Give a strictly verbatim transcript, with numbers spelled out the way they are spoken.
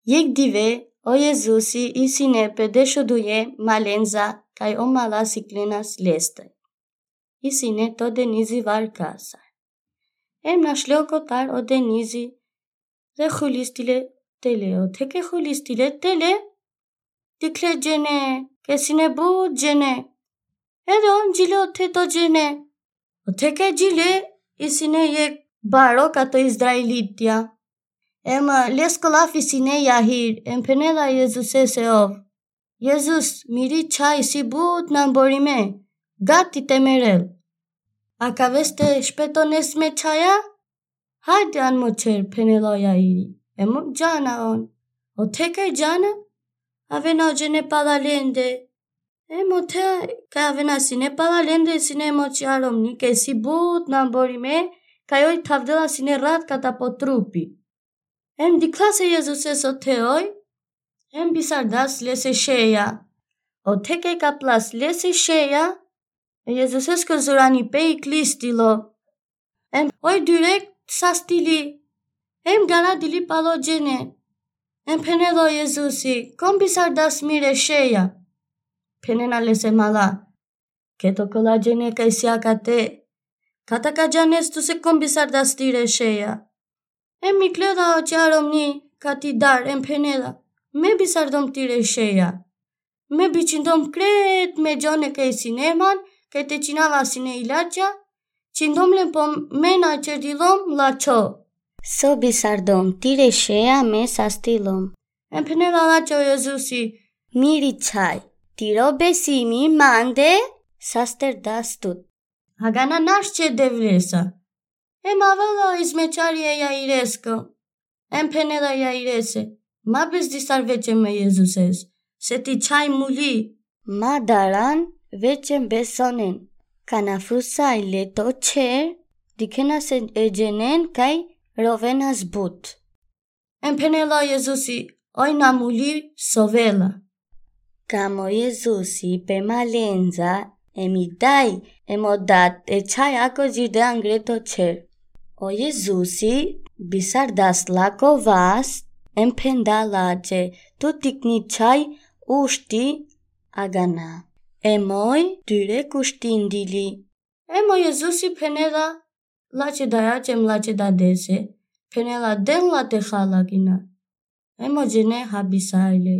Jekh dive, o Jezusi isi ine pe dešuduje malenca, kaj o mala siklenas leste. Isi ine to denizi varkasa. Em našle o kotar o denizi, te hulistile tele, ote ke hulistile tele, dikhle džene, kaj si ine but džene. Em on džile ote to džene. Ote ke džile, isi ine jekh baro kato Izraelitja. Em lesko lafi si ine Jahir, em phenela Jezusese ov: Jezus, miri čhaj si but namborime, gati te merel. Akaveste špetones me čhaja? Hajde, an mo čher, phenela o Jahiri. Em džana on. Ote ke džana, avena o džene pala lende. Em ote kaj avena si ine pala lende, si ine em o čhaj romni, kaj si but namborime, kaj oj thavdela si ine rat kata po trupi. Em dikhlas e Jezuses ote oj, em bisardas lese šeja. Ote ke kaplas lese šeja, e Jezusesko zuranipe iklistilo. Em oj direkt sastili. Em garadili palo džene. Em phenela o Jezusi: Kom bisardas mire šeja? Phenena lese mala: Ked okola džene kaj si akate, kata ka džanes tuse kom bisardas tire šeja. Em iklela o čhaj romni kati dar, em phenela: Me bisardom tire šeja. Me bičindom kret me džone kaj si ine man, kaj te činava si ine ilača, čindom len po me na čerdilom lačho. So bisardom tire šeja me sastilom. Em phenela lačho o Jezusi: Miri čhaj, tiro besimi mande sasterdas tut. Agana našče Devlesa. Em avela o izmećari e Jairesko. Em phenela Jairese: Ma bezdisar većem e Jezuses, se ti čhaj muli. Ma daran većem besonen. Kana fusaj le to čher, dikhena se e dženen kaj rovenas but. Em phenela o Jezusi: Oj na muli, sovela. Kam o Jezusi pe malenca, em i daj, em o dad, e čhaj ako džirde angre to čher. O Jezusi bisardas lako vas, em phendela lačhe: Tu tikni čhaj ušti agana. Em oj direkt uštindili. Em o Jezusi phenela lačhe dajače em lačhe dadese, phenela: Den la te hal agina. Em o džene habisajle.